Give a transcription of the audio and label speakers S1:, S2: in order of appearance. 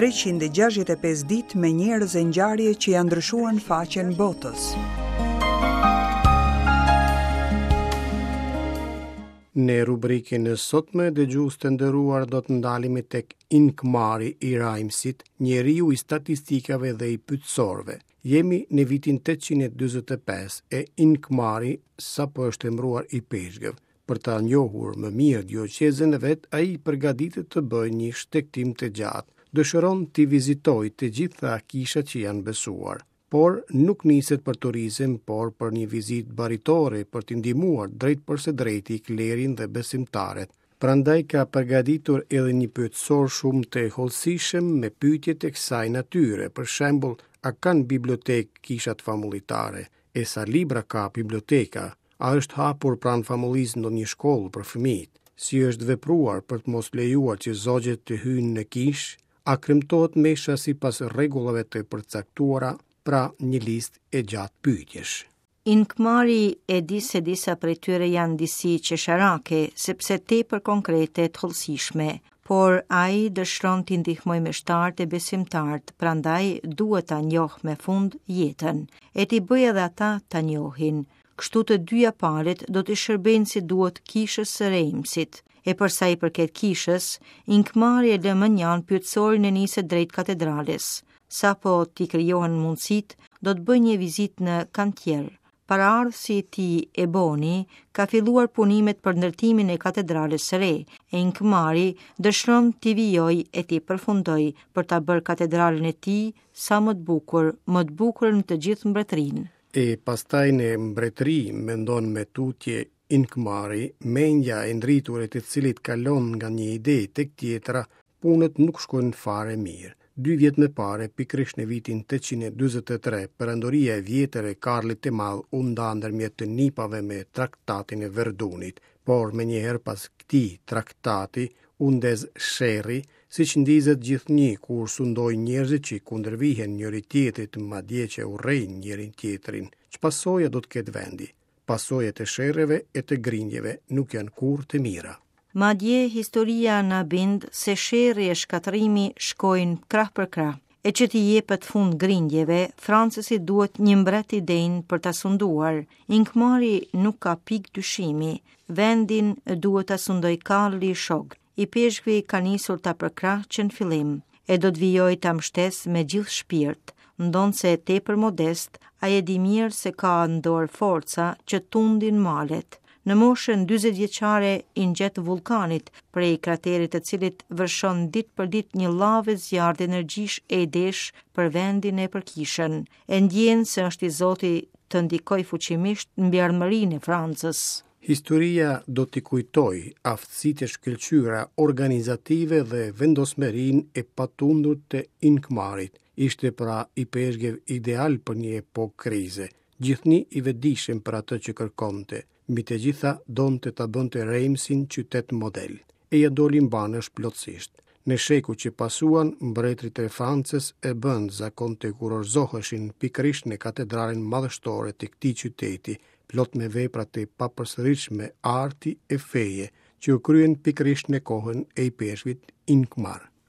S1: 365 ditë me njerëz e ngjarje që ia ndryshuan faqen botës.
S2: Në rubrikën e sotme, dëgjues të nderuar do të ndalemi tek Inkmari i Reimsit, njeriu i statistikave dhe i pyetësorëve. Jemi në vitin 845 e Inkmari sapo është emëruar ipeshkëv. Për ta njohur më mirë dioqezën e vet, ai përgatitet të bëjë një shtegtim të gjatë. Dëshiron t'i vizitojë të gjitha kishat që janë besuar. Por nuk niset për turizëm, por për një vizitë baritore për të ndihmuar drejtpërsëdrejti klerin dhe besimtarët. Prandaj ka përgatitur edhe një pyetësor shumë të hollësishëm me pyetje të kësaj natyre, për shembull, a kanë bibliotekë kishat famullitare, e sa libra ka biblioteka, a është hapur pranë famullisë ndonjë shkollë për fëmijët, si është vepruar për të mos lejuar që zogjtë të hyjnë në kishë, a kremtohet mesha sipas rregullave të përcaktuara, pra një listë e gjatë pyetjesh.
S3: Inkmari e di se disa prej tyre janë disi qesharake, sepse tepër konkrete e të hollësishme, por ai dëshiron t'i ndihmojë meshtarët e besimtarët, prandaj duhet ta njohë me fund jetën, e t'i bëjë edhe ata ta njohin. Kështu të dyja palët do t'i shërbejnë si duhet kishës së Reimsit. E për sa i përket kishës, Inkmari e lë mënjanë pyetësorin e niset drejt katedrales. Sapo t'i krijohen mundësitë, do të bëjë një vizitë në kantier. Paraardhësi i tij, Eboni, ka filluar punimet për ndërtimin e katedrales së re, e Inkmari dëshiron t'i vijojë e t'i përfundojë për ta bërë katedralen e tij sa më të bukur, më të bukurën në të gjithë mbretërinë.
S2: E pastaj në mbretëri, mendon më tutje Inkmari, mendja e ndritur e të cilit kalon nga një ide tek tjetra, punët nuk shkojnë fare mirë. Dy vjet më parë, pikërisht në vitin 843, perandoria e vjetër e Karlit të Madh u nda ndërmjet të nipave me traktatin e Verdunit, por menjëherë pas këtij traktati u ndez sherri, siç ndizet gjithnjë kur sundojnë njerëzit që i kundërvihen njëri-tjetrit, madje që urrejnë njëri-tjetrin. Ç'pasoja do të ketë vendi? Pasojat e sherreve e të grindjeve nuk janë kurrë të
S3: mira. Madje historia na bind se sherri e shkatërrimi shkojnë krah për krah. E që t'i jepet fund grindjeve, Francës i duhet një mbret i denjë për ta sunduar. Inkmari nuk ka pikë dyshimi. Vendin duhet ta sundojë Karli i Shogtë. Ipeshkvi ka nisur ta përkrahë që në fillim, e do të vijojë ta mbështesë me gjithë shpirt. Ndonëse tepër modest, ai e di mirë se ka në dorë forca që tundin malet. Në moshën 40 vjeçare i ngjet vullkanit, prej kraterit të cilit vërshon ditë për ditë një llavë e zjarrtë energjish e idesh për vendin e për kishën. E ndjen se është i zoti të ndikojë fuqimisht mbi ardhmërinë e Francës.
S2: Historia do t'i kujtojë aftësitë e shkëlqyera organizative dhe vendosmërinë e patundur të Inkmarit. Ishte pra ipeshkëv ideal për një epokë krize, gjithnjë i vetëdijshëm për atë që kërkonte. Mbi të gjitha donte ta bënte Reimsin qytet model. E ia doli mbanësh plotësisht. Në shekujt që pasuan, mbretërit e Francës e bënë zakon të kurorëzoheshin pikërisht në katedralen madhështore të këtij qyteti, plot me vepra të papërsëritshme arti e feje, që u kryen pikërisht në kohën e ipeshkvit Inkmar.